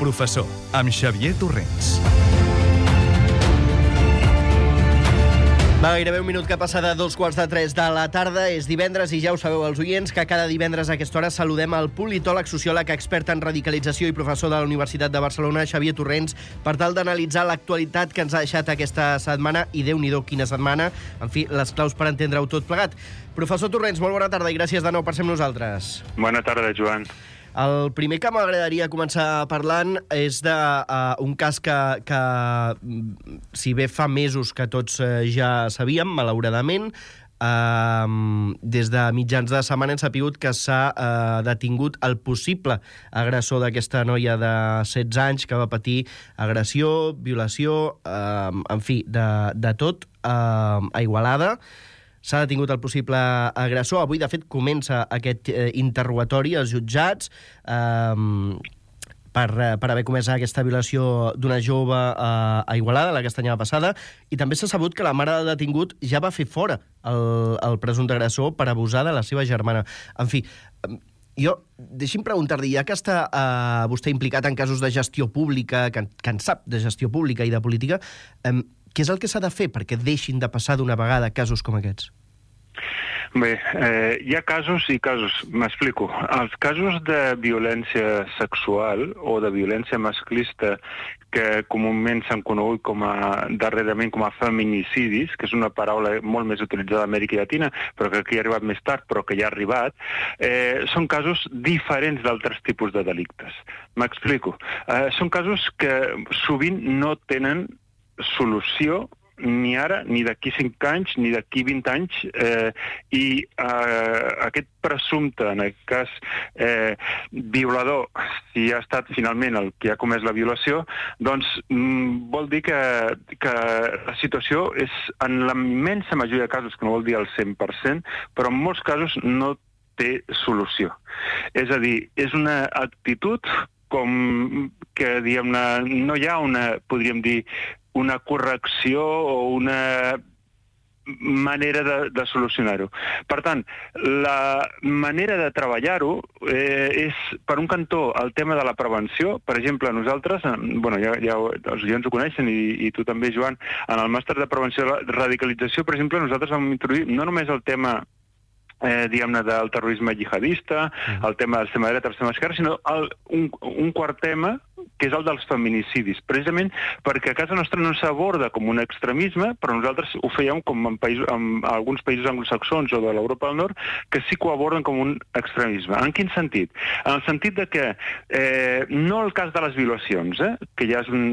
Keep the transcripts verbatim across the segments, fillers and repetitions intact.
professor, amb Xavier Torrents. Va, gairebé un minut que passa de dos quarts de tres de la tarda. És divendres i ja ho sabeu els oients que cada divendres a aquesta hora saludem el politòleg, sociòleg, expert en radicalització i professor de la Universitat de Barcelona, Xavier Torrents, per tal d'analitzar l'actualitat que ens ha deixat aquesta setmana, i Déu-n'hi-do quina setmana, en fi, les claus per entendre-ho tot plegat. Professor Torrents, molt bona tarda i gràcies de nou per ser amb nosaltres. Bona tarda, Joan. El primer que m'agradaria començar parlant és d'un uh, cas que, que, si bé fa mesos que tots uh, ja sabíem, malauradament, uh, des de mitjans de setmana hem sapigut que s'ha uh, detingut el possible agressor d'aquesta noia de setze anys que va patir agressió, violació, uh, en fi, de, de tot, uh, a Igualada. S'ha detingut el possible agressor. Avui, de fet, comença aquest eh, interrogatori als jutjats eh, per, eh, per haver comès aquesta violació d'una jove eh, a Igualada, la castanyada passada, i també s'ha sabut que la mare del detingut ja va fer fora el, el presumpte agressor per abusar de la seva germana. En fi, jo, deixi'm preguntar-li, ja que està eh, vostè implicat en casos de gestió pública, que, que en sap de gestió pública i de política, eh, què és el que s'ha de fer perquè deixin de passar d'una vegada casos com aquests? Bé, eh, hi ha casos i casos. M'explico. Els casos de violència sexual o de violència masclista que comúment s'han conegut com a, darrerament com a feminicidis, que és una paraula molt més utilitzada a Amèrica Llatina, però que aquí ha arribat més tard, però que ja ha arribat, eh, són casos diferents d'altres tipus de delictes. M'explico. Eh, són casos que sovint no tenen solució ni ara, ni d'aquí cinc anys, ni d'aquí vint anys, eh, i eh, aquest presumpte, en aquest cas eh, violador, si ha estat finalment el que ha comès la violació, doncs mm, vol dir que, que la situació és, en la immensa majoria de casos, que no vol dir el cent per cent, però en molts casos no té solució. És a dir, és una actitud com que, diguem-ne, no hi ha una, podríem dir, una correcció o una manera de, de solucionar-ho. Per tant, la manera de treballar-ho eh, és, per un cantó, el tema de la prevenció. Per exemple, nosaltres, bueno, ja, ja els oients ho coneixen, i, i tu també, Joan, en el màster de prevenció de radicalització, per exemple, nosaltres vam introduir no només el tema Eh, diguem-ne, del terrorisme jihadista, uh-huh. el tema del extrema dreta, l'extrema esquerra, sinó el, un, un quart tema, que és el dels feminicidis, precisament perquè a casa nostra no s'aborda com un extremisme, però nosaltres ho fèiem com en, països, en alguns països anglosaxons o de l'Europa del Nord, que sí que ho aborden com un extremisme. En quin sentit? En el sentit de que eh, no el cas de les violacions, eh, que ja és un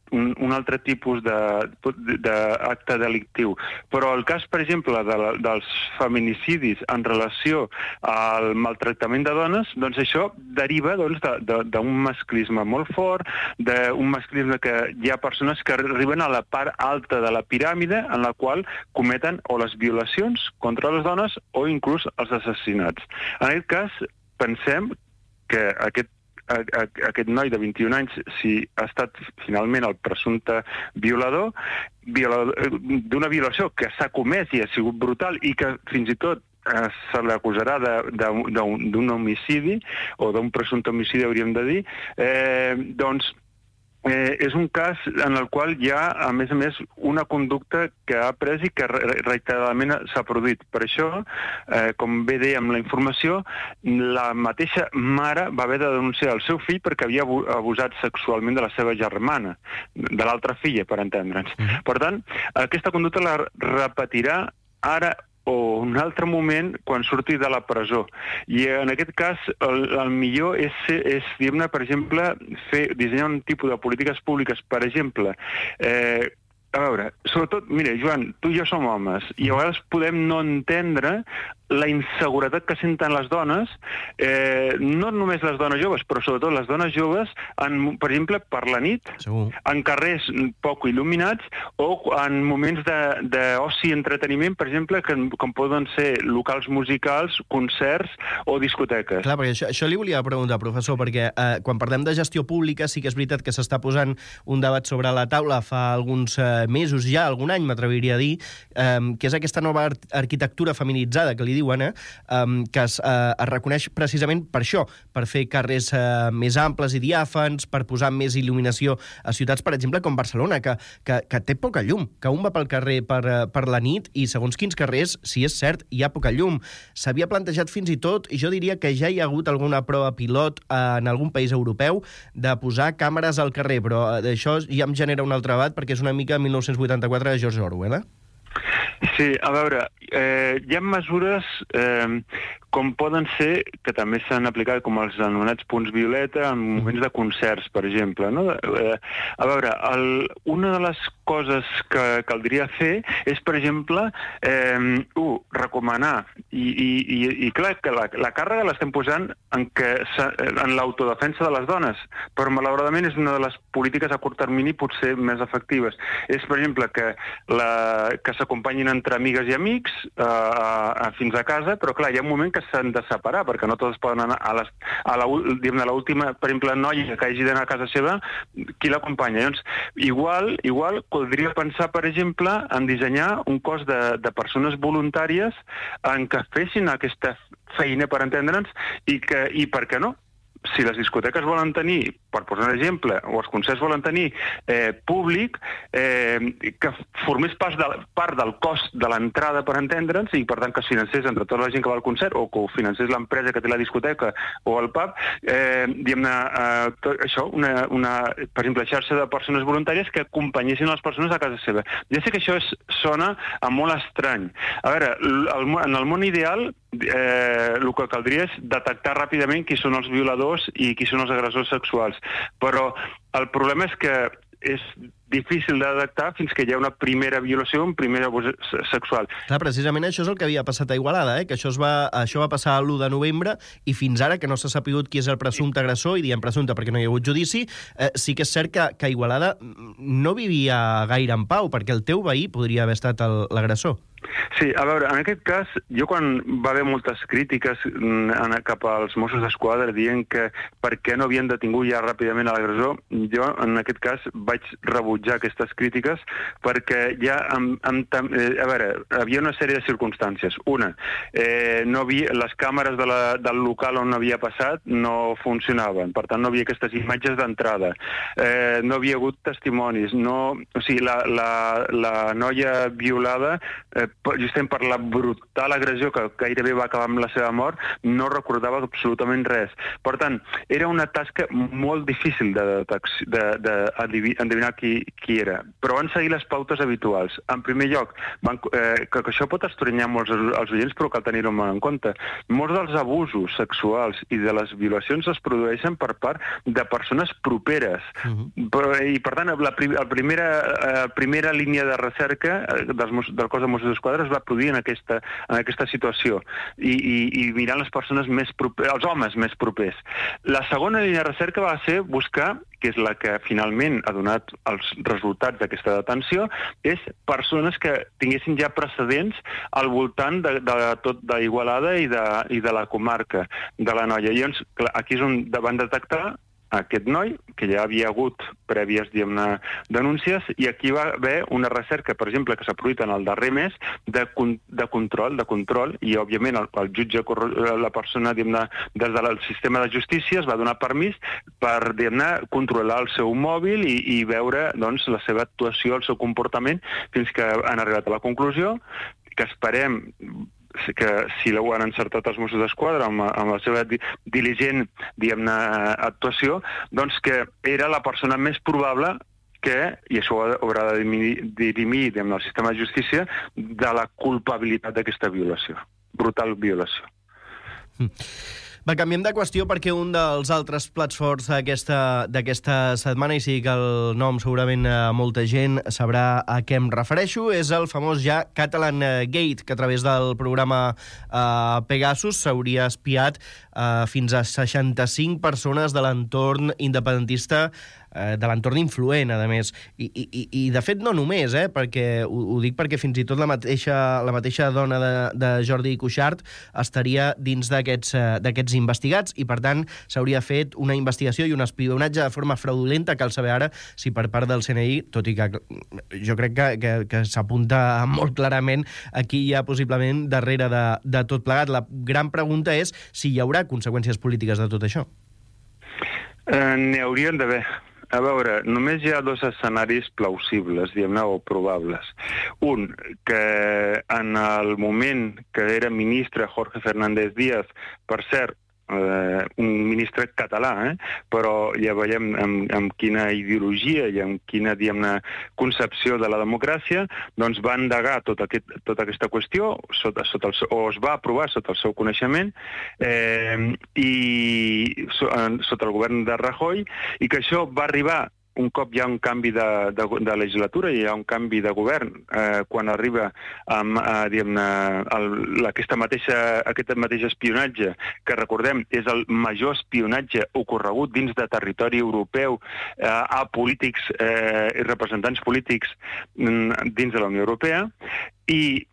Un, un altre tipus d'acte de, delictiu. Però el cas, per exemple, de la, dels feminicidis en relació al maltractament de dones, doncs això deriva doncs, d'un de, de, masclisme molt fort, d'un masclisme que hi ha persones que arriben a la part alta de la piràmide en la qual cometen o les violacions contra les dones o inclús els assassinats. En aquest cas, pensem que aquest aquest noi de vint-i-un anys, si ha estat finalment el presumpte violador, violador d'una violació que s'ha comès i ha sigut brutal i que fins i tot eh, se l'acusarà d'un homicidi o d'un presumpte homicidi, hauríem de dir, eh, doncs Eh, és un cas en el qual hi ha, a més a més, una conducta que ha pres i que reiteradament s'ha produït. Per això, eh, com bé dèiem la informació, la mateixa mare va haver de denunciar el seu fill perquè havia abusat sexualment de la seva germana, de l'altra filla, per entendre'ns. Mm-hmm. Per tant, aquesta conducta la repetirà ara o un altre moment quan surti de la presó. I en aquest cas, el, el millor és, és diguem-ne, per exemple, fer, dissenyar un tipus de polítiques públiques, per exemple, eh, a veure, sobretot, mira, Joan, tu i jo som homes, i a vegades podem no entendre la inseguretat que senten les dones, eh, no només les dones joves, però sobretot les dones joves, en, per exemple, per la nit, Segur. en carrers poc il·luminats, o en moments d'oci i entreteniment, per exemple, que, com poden ser locals musicals, concerts o discoteques. Clar, perquè això, això li volia preguntar, professor, perquè eh, quan parlem de gestió pública sí que és veritat que s'està posant un debat sobre la taula fa alguns eh, eh, mesos ja, algun any m'atreviria a dir, eh, que és aquesta nova ar arquitectura feminitzada, que li diuen, eh, eh, que es, eh, es reconeix precisament per això, per fer carrers eh, més amples i diàfans, per posar més il·luminació a ciutats, per exemple, com Barcelona, que, que, que té poca llum, que un va pel carrer per, per la nit i segons quins carrers, si és cert, hi ha poca llum. S'havia plantejat fins i tot, i jo diria que ja hi ha hagut alguna prova pilot en algun país europeu de posar càmeres al carrer, però això ja em genera un altre debat perquè és una mica mil nou-cents vuitanta-quatre de George Orwell, eh? Sí, a veure, eh, hi ha mesures eh, com poden ser, que també s'han aplicat com els anomenats punts violeta en moments de concerts, per exemple. No? Eh, a veure, el, una de les coses que caldria fer és, per exemple, eh, uh, recomanar, i, i, i, i clar, que la, la càrrega l'estem posant en, que, en l'autodefensa de les dones, però malauradament és una de les polítiques a curt termini potser més efectives. És, per exemple, que, la, que s'acompanyin entre amigues i amics eh, a, fins a casa, però clar, hi ha un moment que s'han de separar, perquè no tots poden anar a, les, a l'última, per exemple, noia que hagi d'anar a casa seva, qui l'acompanya? Llavors, igual, igual podria pensar, per exemple, en dissenyar un cos de, de persones voluntàries en què fessin aquesta feina, per entendre'ns, i, que, i per què no? Si les discoteques volen tenir, per posar un exemple, o els concerts volen tenir eh, públic, eh, que formés part, de, part del cost de l'entrada, per entendre'ns, i per tant que es financés entre tota la gent que va al concert, o que ho financés l'empresa que té la discoteca o el pub, eh, diguem-ne, eh, tot això, una, una, per exemple, xarxa de persones voluntàries que acompanyessin les persones a casa seva. Ja sé que això és, sona a molt estrany. A veure, el, en el món ideal, eh, el que caldria és detectar ràpidament qui són els violadors i qui són els agressors sexuals. Però el problema és que és difícil de detectar fins que hi ha una primera violació, un primer abús sexual. Clar, precisament això és el que havia passat a Igualada, eh? Que això, es va, això va passar l'u de novembre i fins ara que no s'ha sapigut qui és el presumpte agressor, i diem presumpte perquè no hi ha hagut judici, eh, sí que és cert que, que Igualada no vivia gaire en pau, perquè el teu veí podria haver estat l'agressor. Sí, a veure, en aquest cas, jo quan va haver moltes crítiques en, cap als Mossos d'Esquadra dient que per què no havien detingut ja ràpidament l'agressor, jo en aquest cas vaig rebutjar aquestes crítiques perquè ja, amb, amb, eh, a veure, havia una sèrie de circumstàncies. Una, eh, no havia, les càmeres de la, del local on havia passat no funcionaven, per tant no havia aquestes imatges d'entrada, eh, no havia hagut testimonis, no, o sigui, la, la, la noia violada, eh, justament per la brutal agressió que gairebé va acabar amb la seva mort, no recordava absolutament res. Per tant, era una tasca molt difícil d'endevinar qui, qui era. Però van seguir les pautes habituals. En primer lloc, van, eh, que, que això pot estranyar molts els oients, però cal tenir-ho molt en compte. Molts dels abusos sexuals i de les violacions es produeixen per part de persones properes. Uh-huh. Però, i, per tant, la, la primera, eh, primera línia de recerca dels, del cos de Mossos d'Esquadra es va produir en aquesta, en aquesta situació i, i, i mirant les persones més properes, els homes més propers. La segona línia de recerca va ser buscar, que és la que finalment ha donat els resultats d'aquesta detenció, és persones que tinguessin ja precedents al voltant de, de tot d'Igualada i, de, i de la comarca de la noia. I llavors, clar, aquí és on van detectar aquest noi, que ja havia hagut prèvies, diguem-ne, denúncies, i aquí va haver una recerca, per exemple, que s'ha produït en el darrer mes, de, de control, de control, i, òbviament, el, el jutge, la persona, diguem-ne, des del sistema de justícia es va donar permís per, diguem-ne, controlar el seu mòbil i, i veure, doncs, la seva actuació, el seu comportament, fins que han arribat a la conclusió, que esperem que si ho han encertat els Mossos d'Esquadra amb, amb la seva diligent, diguem-ne, actuació, doncs que era la persona més probable que, i això haurà de dirimir, diguem-ne, el sistema de justícia, de la culpabilitat d'aquesta violació, brutal violació. Mm. Va, canviem de qüestió perquè un dels altres plats forts d'aquesta setmana, i sí que el nom segurament molta gent sabrà a què em refereixo, és el famós ja Catalan Gate, que a través del programa eh, Pegasus s'hauria espiat eh, fins a seixanta-cinc persones de l'entorn independentista eh, de l'entorn influent, a més. I, i, i de fet no només, eh, perquè ho, ho dic perquè fins i tot la mateixa, la mateixa dona de, de Jordi Cuixart estaria dins d'aquests eh, d'aquests investigats i, per tant, s'hauria fet una investigació i un espionatge de forma fraudulenta. Cal saber ara si per part del C N I, tot i que jo crec que, que, que s'apunta molt clarament aquí hi ha possiblement darrere de, de tot plegat. La gran pregunta és si hi haurà conseqüències polítiques de tot això. Eh, N'hi haurien d'haver. A veure, només hi ha dos escenaris plausibles, diguem-ne, o probables. Un, que en el moment que era ministre Jorge Fernández Díaz, per cert, eh, un ministre català, eh? Però ja veiem amb, amb quina ideologia i amb quina, diguem-ne, concepció de la democràcia, doncs va endegar tot aquest, tota aquesta qüestió sota, sota el, o es va aprovar sota el seu coneixement eh, i so, sota el govern de Rajoy, i que això va arribar un cop hi ha un canvi de, de, de legislatura i hi ha un canvi de govern, eh, quan arriba amb, eh, diguem-ne, aquesta mateixa, aquest mateix espionatge, que recordem és el major espionatge ocorregut dins de territori europeu eh, a polítics eh, i representants polítics dins de la Unió Europea, i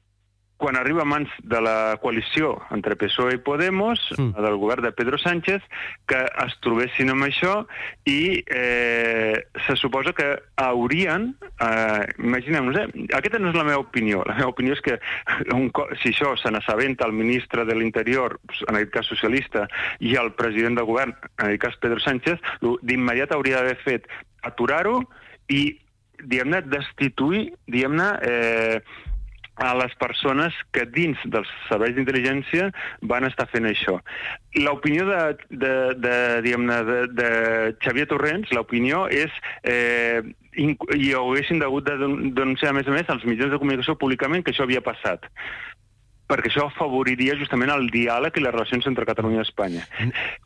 quan arriba a mans de la coalició entre P S O E i Podemos, mm. del govern de Pedro Sánchez, que es trobessin amb això i eh, se suposa que haurien, eh, imaginem-nos, eh, aquesta no és la meva opinió, la meva opinió és que un, si això se n'assabenta el ministre de l'Interior, en aquest cas socialista, i el president del govern, en aquest cas Pedro Sánchez, d'immediat hauria d'haver fet aturar-ho i, diguem-ne, destituir, diguem-ne, eh, a les persones que dins dels serveis d'intel·ligència van estar fent això. L'opinió de, de, de, diguem-ne, de, de Xavier Torrents, l'opinió és eh, i ho haguessin hagut de denunciar, a més a més, als mitjans de comunicació públicament que això havia passat, perquè això afavoriria justament el diàleg i les relacions entre Catalunya i Espanya.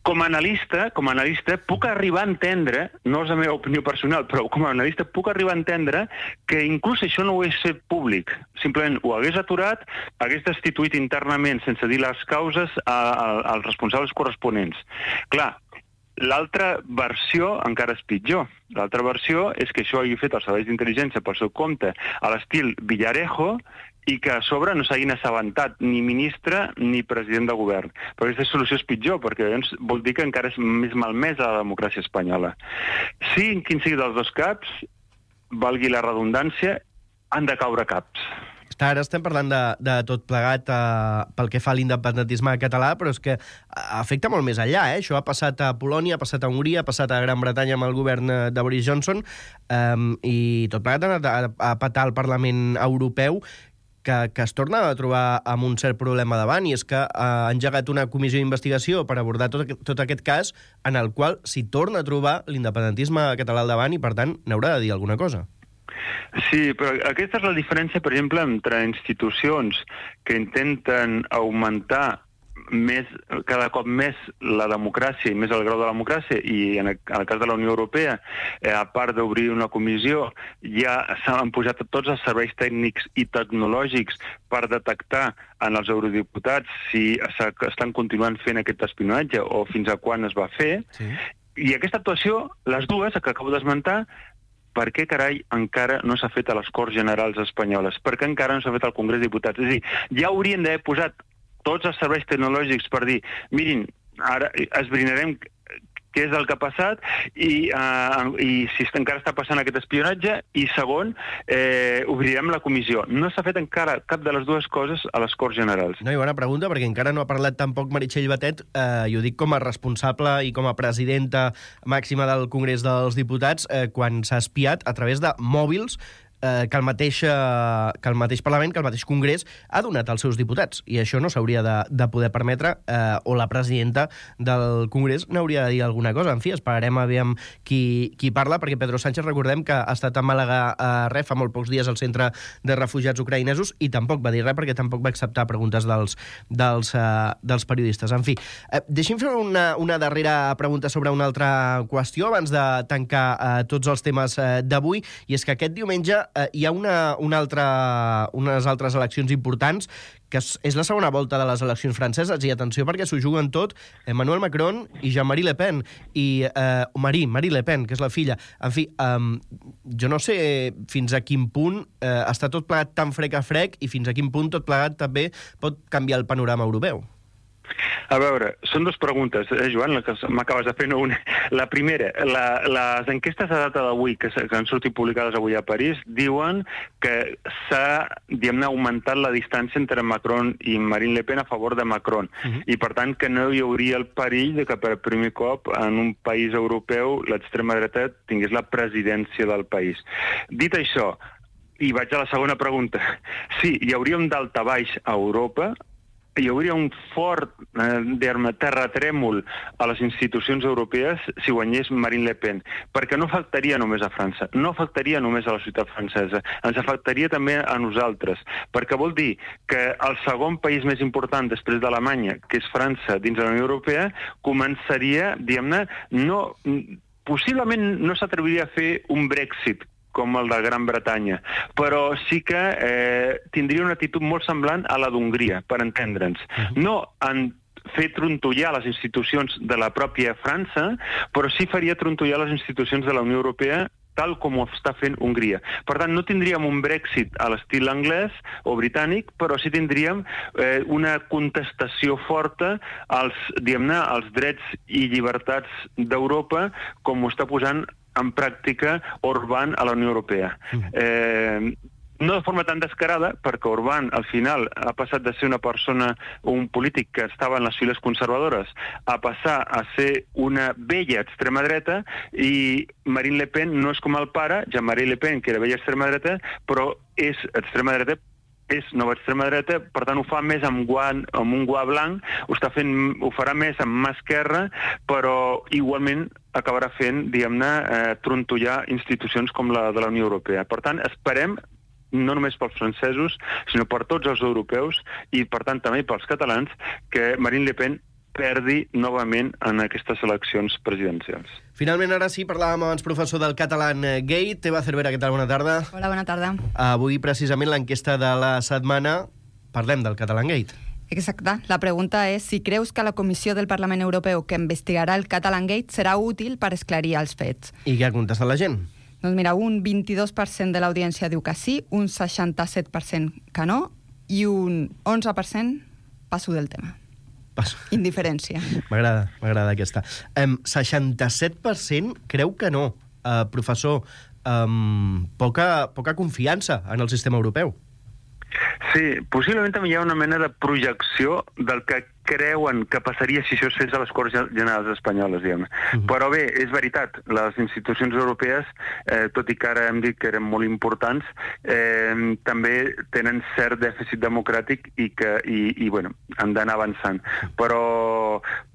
Com a analista, com a analista puc arribar a entendre, no és la meva opinió personal, però com a analista puc arribar a entendre que inclús això no ho hagués fet públic. Simplement ho hagués aturat, hagués destituït internament, sense dir les causes, a, a, als responsables corresponents. Clar, l'altra versió encara és pitjor. L'altra versió és que això hagi fet els serveis d'intel·ligència pel seu compte a l'estil Villarejo i que a sobre no s'hagin assabentat ni ministre ni president de govern. Però aquesta solució és pitjor, perquè llavors vol dir que encara és més malmesa la democràcia espanyola. Sí, en quin sigui dels dos caps, valgui la redundància, han de caure caps. Ara estem parlant de, de tot plegat eh, pel que fa a l'independentisme català, però és que afecta molt més enllà. Eh? Això ha passat a Polònia, ha passat a Hongria, ha passat a Gran Bretanya amb el govern de Boris Johnson, eh, i tot plegat ha anat a, a petar al Parlament Europeu, que, que es torna a trobar amb un cert problema davant, i és que ha engegat una comissió d'investigació per abordar tot, tot aquest cas, en el qual s'hi torna a trobar l'independentisme català al davant i, per tant, n'haurà de dir alguna cosa. Sí, però aquesta és la diferència, per exemple, entre institucions que intenten augmentar més, cada cop més la democràcia i més el grau de la democràcia, i en el, en el cas de la Unió Europea, eh, a part d'obrir una comissió, ja s'han posat tots els serveis tècnics i tecnològics per detectar en els eurodiputats si estan continuant fent aquest espionatge o fins a quan es va fer. Sí. I aquesta actuació, les dues, que acabo d'esmentar, per què, carai, encara no s'ha fet a les Corts Generals espanyoles? Per què encara no s'ha fet al Congrés de Diputats? És a dir, ja haurien d'haver posat tots els serveis tecnològics per dir, mirin, ara esbrinarem què és el que ha passat i, uh, i si encara està passant aquest espionatge, i segon, eh, obrirem la comissió. No s'ha fet encara cap de les dues coses a les Corts Generals. No, i bona pregunta, perquè encara no ha parlat tampoc Meritxell Batet, eh, i ho dic com a responsable i com a presidenta màxima del Congrés dels Diputats, eh, quan s'ha espiat a través de mòbils eh, que, el mateix, eh, que el mateix Parlament, que el mateix Congrés ha donat als seus diputats, i això no s'hauria de, de poder permetre, eh, o la presidenta del Congrés n'hauria de dir alguna cosa. En fi, esperarem a veure qui, qui parla, perquè Pedro Sánchez, recordem que ha estat a Màlaga a res fa molt pocs dies al centre de refugiats ucraïnesos, i tampoc va dir res perquè tampoc va acceptar preguntes dels, dels, eh, dels periodistes. En fi, eh, deixi'm fer una, una darrera pregunta sobre una altra qüestió abans de tancar eh, tots els temes eh, d'avui, i és que aquest diumenge eh, hi ha una, una altra, unes altres eleccions importants, que és, és la segona volta de les eleccions franceses, i atenció perquè s'ho juguen tot Emmanuel Macron i Jean-Marie Le Pen, i eh, Marie, Marie Le Pen, que és la filla. En fi, eh, jo no sé fins a quin punt eh, està tot plegat tan frec a frec i fins a quin punt tot plegat també pot canviar el panorama europeu. A veure, són dues preguntes, eh, Joan, la que m'acabes de fer, no una. La primera, la, les enquestes de data d'avui, que, que han sortit publicades avui a París, diuen que s'ha, diguem-ne, augmentat la distància entre Macron i Marine Le Pen a favor de Macron. Uh-huh. I, per tant, que no hi hauria el perill de que per primer cop en un país europeu l'extrema dreta tingués la presidència del país. Dit això, i vaig a la segona pregunta, sí, hi hauria un daltabaix a Europa, hi hauria un fort eh, terratrèmol a les institucions europees si guanyés Marine Le Pen, perquè no afectaria només a França, no afectaria només a la ciutat francesa, ens afectaria també a nosaltres, perquè vol dir que el segon país més important després d'Alemanya, que és França dins de la Unió Europea, començaria, diguem-ne, no, possiblement no s'atreviria a fer un Brexit com el de Gran Bretanya, però sí que eh, tindria una actitud molt semblant a la d'Hongria, per entendre'ns. No en fer trontollar les institucions de la pròpia França, però sí faria trontollar les institucions de la Unió Europea tal com ho està fent Hongria. Per tant, no tindríem un Brexit a l'estil anglès o britànic, però sí tindríem eh, una contestació forta als, diguem-ne, als drets i llibertats d'Europa, com ho està posant en pràctica Orbán a la Unió Europea. Eh, no de forma tan descarada, perquè Orbán al final ha passat de ser una persona o un polític que estava en les files conservadores a passar a ser una vella extrema dreta, i Marine Le Pen no és com el pare, Jean-Marie Le Pen, que era vella extrema dreta, però és extrema dreta, és nova extrema dreta, per tant ho fa més amb, guant, amb un guà blanc, ho, està fent, ho farà més amb mà esquerra, però igualment acabarà fent, diguem-ne, eh, trontollar institucions com la de la Unió Europea. Per tant, esperem, no només pels francesos, sinó per tots els europeus i, per tant, també pels catalans, que Marine Le Pen perdi novament en aquestes eleccions presidencials. Finalment, ara sí, parlàvem abans, professor, del Catalan Gate. Eva Cervera, què tal? Bona tarda. Hola, bona tarda. Avui, precisament, l'enquesta de la setmana, parlem del Catalan Gate. Exacte. La pregunta és si creus que la Comissió del Parlament Europeu que investigarà el Catalan Gate serà útil per esclarir els fets. I què ha contestat la gent? Doncs mira, un vint-i-dos per cent de l'audiència diu que sí, un seixanta-set per cent que no i un onze per cent passo del tema. Passo. Indiferència. M'agrada, m'agrada aquesta. Um, seixanta-set per cent creu que no. Uh, professor, um, poca, poca confiança en el sistema europeu. Sí, possiblement també hi ha una mena de projecció del que creuen que passaria si això es fes a les Corts Generals espanyoles, diguem. Uh-huh. Però bé, és veritat, les institucions europees, eh, tot i que ara hem dit que eren molt importants, eh, també tenen cert dèficit democràtic i, que, i, i bueno, han d'anar avançant. Però,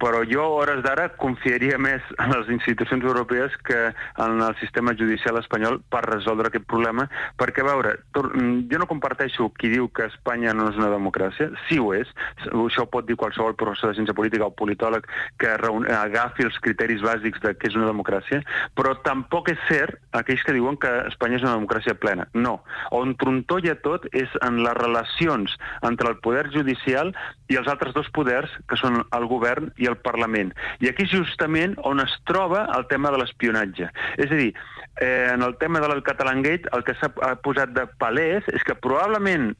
però jo, a hores d'ara, confiaria més en les institucions europees que en el sistema judicial espanyol per resoldre aquest problema, perquè, a veure, jo no comparteixo qui diu que Espanya no és una democràcia. Sí ho és, això ho pot dir qualsevol el professor de ciència política o politòleg que agafi els criteris bàsics de què és una democràcia, però tampoc és cert aquells que diuen que Espanya és una democràcia plena. No. On trontolla tot és en les relacions entre el poder judicial i els altres dos poders, que són el govern i el Parlament. I aquí és justament on es troba el tema de l'espionatge. És a dir, eh, en el tema del Catalan Gate, el que s'ha posat de palès és que probablement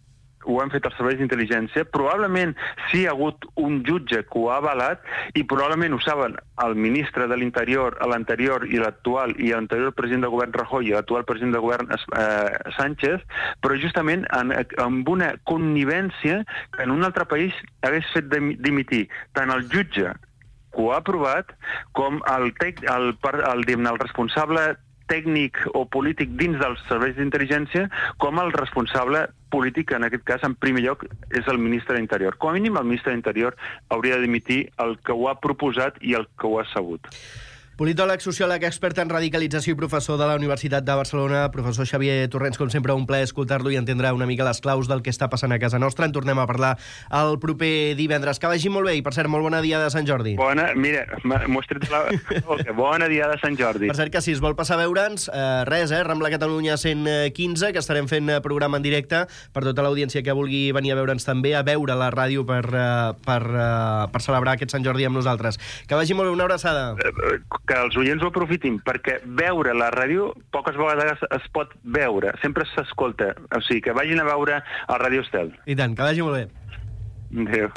ho han fet els serveis d'intel·ligència, probablement sí hi ha hagut un jutge que ho ha avalat i probablement ho saben el ministre de l'Interior, l'anterior i l'actual, i l'anterior president del govern Rajoy i l'actual president del govern eh, Sánchez, però justament en, amb una connivència que en un altre país hagués fet dimitir tant el jutge que ho ha aprovat com el, tec, el, el, el, el responsable tècnic o polític dins dels serveis d'intel·ligència, com el responsable polític, en aquest cas, en primer lloc, és el ministre d'Interior. Com a mínim, el ministre d'Interior hauria de dimitir el que ho ha proposat i el que ho ha sabut. Politòleg, sociòleg, expert en radicalització i professor de la Universitat de Barcelona, professor Xavier Torrents, com sempre, un plaer escoltar-lo i entendre una mica les claus del que està passant a casa nostra. En tornem a parlar el proper divendres. Que vagi molt bé i, per cert, molt bona dia de Sant Jordi. Bona, mira, m'ho has tret la... Bona dia de Sant Jordi. Per cert, que si es vol passar a veure'ns, eh, res, eh, Rambla Catalunya cent quinze, que estarem fent programa en directe per tota l'audiència que vulgui venir a veure'ns també, a veure la ràdio per, uh, per, uh, per celebrar aquest Sant Jordi amb nosaltres. Que vagi molt bé, una abraçada. Que els oients ho aprofitin, perquè veure la ràdio poques vegades es pot veure, sempre s'escolta. O sigui, que vagin a veure el Ràdio Estel. I tant, que vagi molt bé. Adéu.